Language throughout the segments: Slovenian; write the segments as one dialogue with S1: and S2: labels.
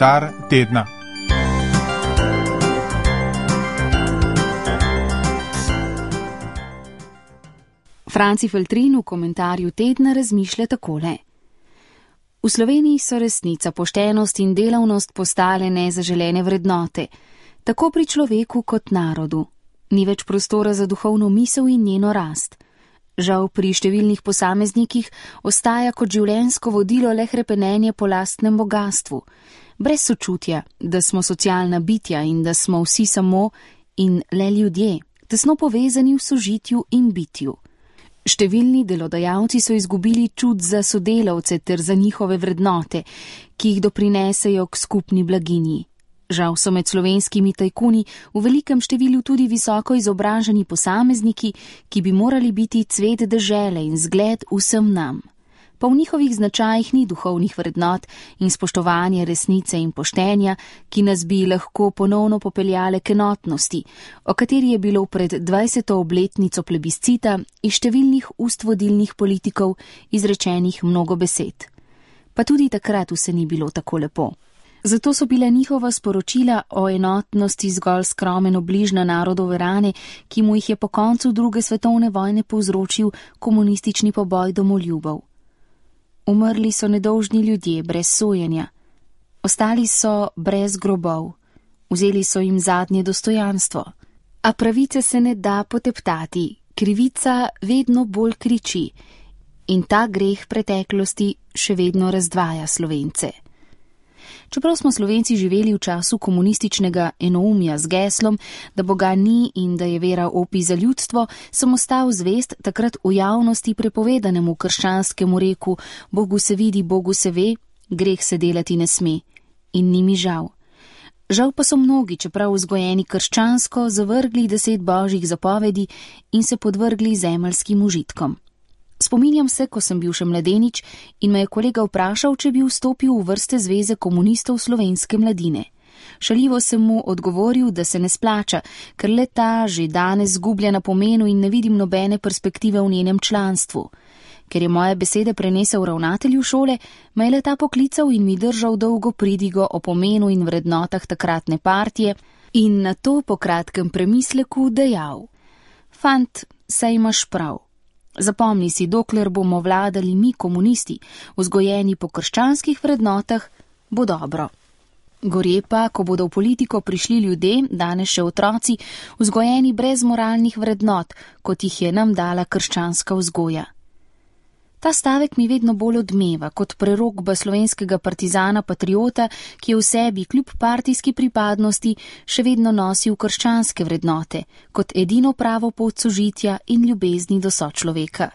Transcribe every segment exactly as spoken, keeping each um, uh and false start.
S1: Komentar tedna.
S2: Franci Feltrin v komentarju tedna razmišlja takole. V Sloveniji so resnica, poštenost in delavnost postale nezaželene vrednote, tako pri človeku kot narodu. Ni več prostora za duhovno misel in njeno rast. Žal pri številnih posameznikih ostaja kot življenjsko vodilo le hrepenenje po lastnem bogastvu, brez sočutja, da smo socialna bitja in da smo vsi samo in le ljudje, tesno povezani v sožitju in bitju. Številni delodajalci so izgubili čut za sodelavce ter za njihove vrednote, ki jih doprinesejo k skupni blaginji. Žal so med slovenskimi tajkuni v velikem številu tudi visoko izobraženi posamezniki, ki bi morali biti cvet dežele in zgled vsem nam. Pa v njihovih značajih ni duhovnih vrednot in spoštovanja resnice in poštenja, ki nas bi lahko ponovno popeljale k enotnosti, o kateri je bilo pred dvajseto obletnico plebiscita iz številnih ust vodilnih politikov izrečenih mnogo besed. Pa tudi takrat vse ni bilo tako lepo. Zato so bile njihova sporočila o enotnosti zgolj skromen obliž na narodove rane, ki mu jih je po koncu druge svetovne vojne povzročil komunistični poboj domoljubov. Umrli so nedolžni ljudje brez sojenja, ostali so brez grobov, vzeli so jim zadnje dostojanstvo. A pravice se ne da poteptati, krivica vedno bolj kriči in ta greh preteklosti še vedno razdvaja Slovence. Čeprav smo Slovenci živeli v času komunističnega enoumja z geslom, da Boga ni in da je vera opij za ljudstvo, sem ostal zvest takrat v javnosti prepovedanemu krščanskemu reku Bogu se vidi, Bogu se ve, greh se delati ne sme. In ni mi žal. Žal pa so mnogi, čeprav vzgojeni krščansko, zavrgli deset božjih zapovedi in se podvrgli zemeljskim užitkom. Spominjam se, ko sem bil še mladenič in me je kolega vprašal, če bi vstopil v vrste Zveze komunistov slovenske mladine. Šaljivo sem mu odgovoril, da se ne splača, ker le ta že danes zgublja na pomenu in ne vidim nobene perspektive v njenem članstvu. Ker je moje besede prenesel ravnatelju šole, me je le ta poklical in mi držal dolgo pridigo o pomenu in vrednotah takratne partije in na to po kratkem premisleku dejal: Fant, saj imaš prav. Zapomni si, dokler bomo vladali mi komunisti, vzgojeni po krščanskih vrednotah, bo dobro. Gorje pa, ko bodo v politiko prišli ljudje, danes še otroci, vzgojeni brez moralnih vrednot, kot jih je nam dala krščanska vzgoja. Ta stavek mi vedno bolj odmeva kot prerokba slovenskega partizana patriota, ki je v sebi kljub partijski pripadnosti še vedno nosil krščanske vrednote, kot edino pravo pot sožitja in ljubezni do sočloveka.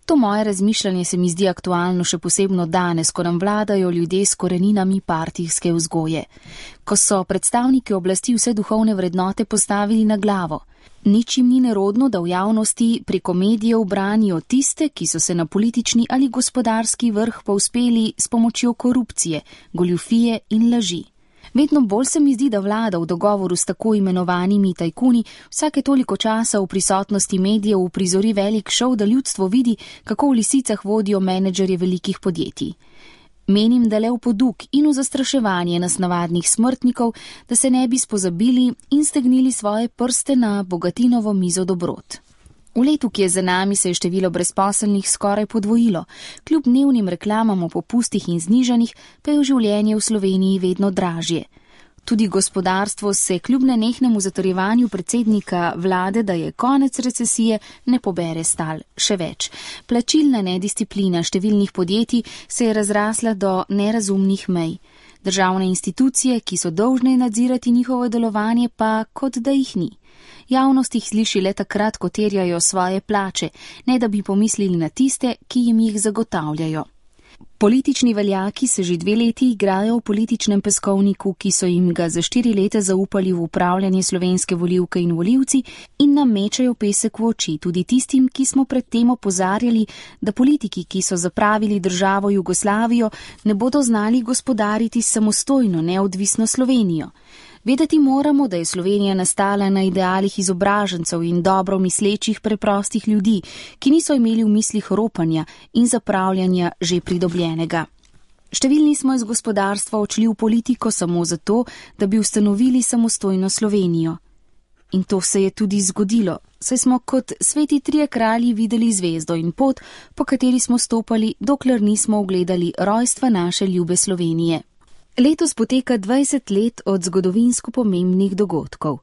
S2: To moje razmišljanje se mi zdi aktualno še posebno danes, ko nam vladajo ljudje s koreninami partijske vzgoje, ko so predstavniki oblasti vse duhovne vrednote postavili na glavo. Nič jim ni nerodno, da v javnosti preko medijev branijo tiste, ki so se na politični ali gospodarski vrh povzpeli s pomočjo korupcije, goljufije in laži. Vedno bolj se mi zdi, da vlada v dogovoru s tako imenovanimi tajkuni vsake toliko časa v prisotnosti medijev uprizori velik šov, da ljudstvo vidi, kako v lisicah vodijo menedžerje velikih podjetij. Menim, da le v poduk in v zastraševanje nas navadnih smrtnikov, da se ne bi spozabili in stegnili svoje prste na bogatinovo mizo dobrot. V letu, ki je za nami, se je število brezposelnih skoraj podvojilo, kljub dnevnim reklamam o popustih in znižanjih, pa je v življenje v Sloveniji vedno dražje. Tudi gospodarstvo se kljub nenehnemu zatrjevanju predsednika vlade, da je konec recesije, ne pobere stal. Še več. Plačilna nedisciplina številnih podjetij se je razrasla do nerazumnih mej. Državne institucije, ki so dolžne nadzirati njihovo delovanje, pa kot da jih ni. Javnost jih sliši le takrat, ko terjajo svoje plače, ne da bi pomislili na tiste, ki jim jih zagotavljajo. Politični veljaki se že dve leti igrajo v političnem peskovniku, ki so jim ga za štiri leta zaupali v upravljanje slovenske volivke in volivci in nam mečajo pesek v oči, tudi tistim, ki smo predtem opozarjali, da politiki, ki so zapravili državo Jugoslavijo, ne bodo znali gospodariti samostojno, neodvisno Slovenijo. Vedeti moramo, da je Slovenija nastala na idealih izobražencev in dobro mislečih preprostih ljudi, ki niso imeli v mislih ropanja in zapravljanja že pridobljenega. Številni smo iz gospodarstva odšli v politiko samo zato, da bi ustanovili samostojno Slovenijo. In to se je tudi zgodilo, saj smo kot sveti trije kralji videli zvezdo in pot, po kateri smo stopali, dokler nismo ugledali rojstva naše ljube Slovenije. Letos poteka dvajset let od zgodovinsko pomembnih dogodkov.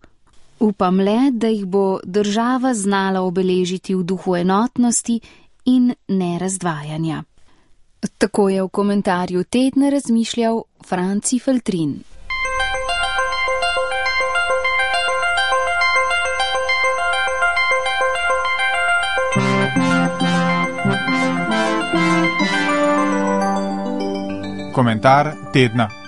S2: Upam le, da jih bo država znala obeležiti v duhu enotnosti in nerazdvajanja. Tako je v komentarju tedna razmišljal Franci Feltrin.
S1: Komentar tedna.